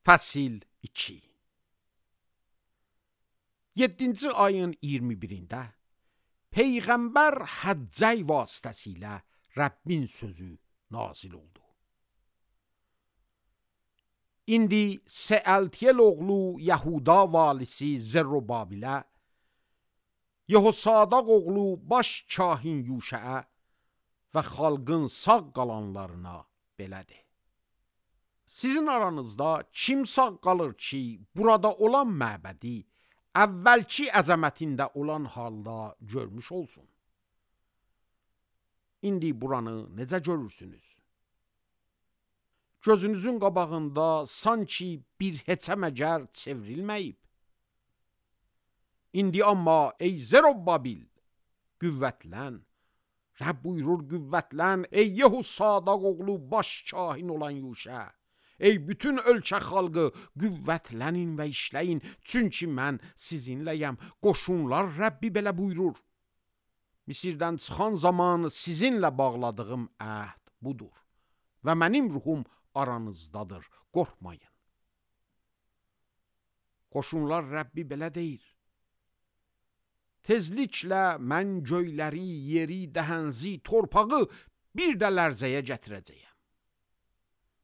Fəsil 2. 7-ci ayın 21-də Peyğəmbər Həccəy vasitəsilə Rəbbin sözü nazil oldu. İndi Seəltiyel oğlu Yahuda valisi Zerrubabilə, Yehosadaq oğlu baş kahin Yuşəə və xalqın sağ qalanlarına belədir. Sizin aranızda kim sağ qalır ki, burada olan məbədi əvvəlki əzəmətində olan halda görmüş olsun? İndi buranı necə görürsünüz? Gözünüzün qabağında sanki bir heçə məgər çevrilməyib. İndi amma ey Zerrubabil, qüvvətlən, Rəbb buyurur qüvvətlən, ey Yehosadaq oğlu baş kahin olan Yuşə, ey bütün ölkə xalqı qüvvətlənin və işləyin, çünki mən sizinləyəm. Qoşunlar Rəbbi belə buyurur. Misirdən çıxan zaman sizinlə bağladığım əhd budur və mənim ruhum aranızdadır, qorxmayın. Qoşunlar Rəbbi belə deyir. Tezliklə mən göyləri, yeri, dəhənzi, torpağı bir də lərzəyə gətirəcəyəm.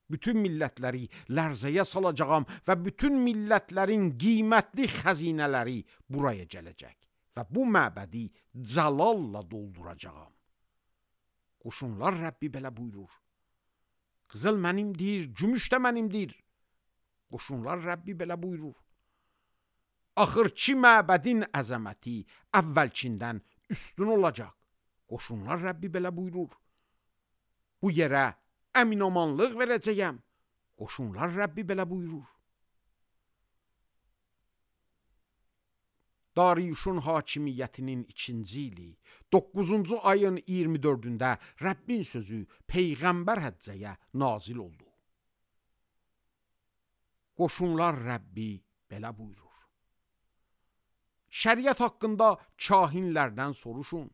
Bütün millətləri lərzəyə salacağam və bütün millətlərin qiymətli xəzinələri buraya gələcək və bu məbədi cəlalla dolduracağam. Qoşunlar Rəbbi belə buyurur. Qızıl mənimdir, gümüş də mənimdir. Qoşunlar Rəbbi belə buyurur. Axırki məbədin əzəməti əvvəlkindən üstün olacaq. Qoşunlar Rəbbi belə buyurur. Bu yerə əminamanlıq verəcəyəm. Qoşunlar Rəbbi belə buyurur. Dariyuşun hakimiyyətinin 2-ci ili 9-cu ayın 24-də Rəbbin sözü Peyğəmbər Həccəyə nazil oldu. Qoşunlar Rəbbi belə buyurur. Şəriət haqqında kahinlərdən soruşun.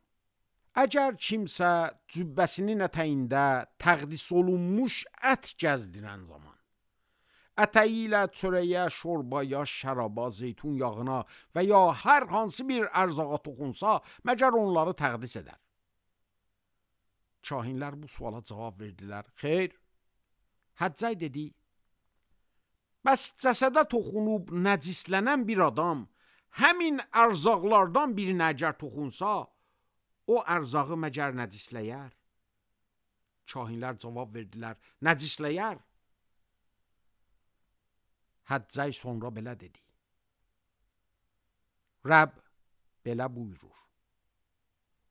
Əgər kimsə cübbəsinin ətəyində təqdis olunmuş ət gəzdirən zaman, ətəyi ilə çörəyə, şorbaya, şəraba, zeytun yağına və ya hər hansı bir ərzağa toxunsa, məgər onları təqdis edər. Kahinlər bu suala cavab verdilər. Xeyr. Həccəy dedi, bəs cəsədə toxunub nəcislənən bir adam həmin ərzaqlardan birinə əgər toxunsa, o ərzağı məgər nəcisləyər? Kahinlər cavab verdilər, nəcisləyər. Həccəy sonra belə dedi. Rəbb belə buyurur.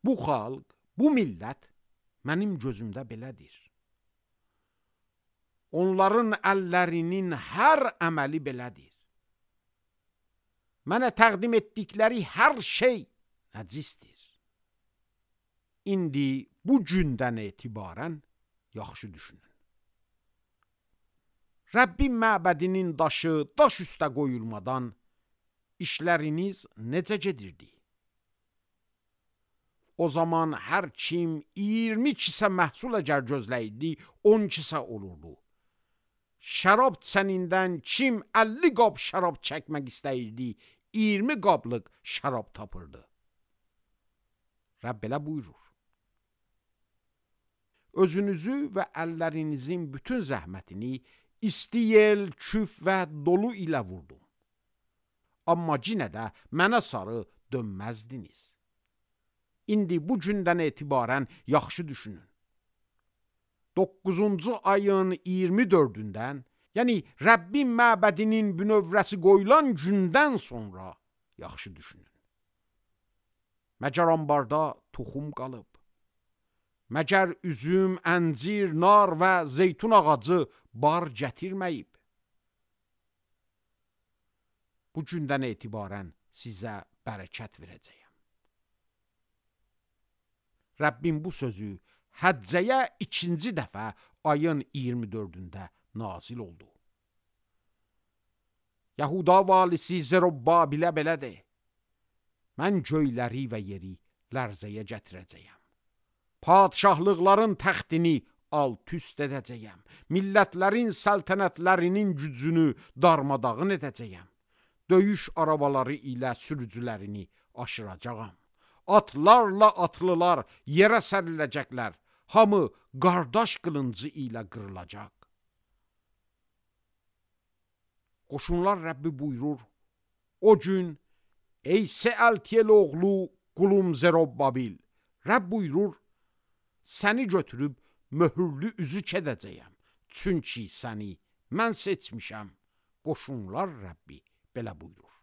Bu xalq, bu millət mənim gözümdə belədir. Onların əllərinin hər əməli belədir. Mənə təqdim etdikləri hər şey nəcisdir. İndi bu gündən etibarən yaxşı düşünün. Rəbbin məbədinin daşı daş üstə qoyulmadan işləriniz necə gedirdi? O zaman hər kim 20 kisə məhsul əgər gözləyirdi, 10 kisə olurdu. Şərab çənindən kim 50 qab şərab çəkmək istəyirdi, 20 qablıq şərab tapırdı. Rəbb belə buyurur. Özünüzü və əllərinizin bütün zəhmətini isti yel, küf və dolu ilə vurdum. Amma yenə də mənə sarı dönməzdiniz. İndi bu gündən etibarən yaxşı düşünün. 9-cu ayın 24-dən, yəni Rəbbin məbədinin bünövrəsi qoyulan gündən sonra yaxşı düşünün. Məgər ambarda toxum qalıb? Məgər üzüm, əncir, nar və zeytun ağacı bar gətirməyib? Bu gündən etibarən sizə bərəkət verəcəyəm. Rəbbin bu sözü Həccəyə 2-ci dəfə ayın 24-də nazil oldu. Yahuda valisi Zerrubabilə belədir. Mən göyləri və yeri lərzəyə gətirəcəyəm. Padşahlıqların təxtini alt-üst edəcəyəm. Millətlərin səltənətlərinin gücünü darmadağın edəcəyəm. Döyüş arabaları ilə sürücülərini aşıracağam. Atlarla atlılar yerə səriləcəklər. Hamı qardaş qılıncı ilə qırılacaq. Qoşunlar Rəbbi buyurur, o gün, ey Sealtiyel oğlu qulum Zerobbabil, Rəbb buyurur, səni götürüb möhürlü üzük edəcəyəm. Çünki səni mən seçmişəm. Qoşunlar Rəbbi belə buyurur.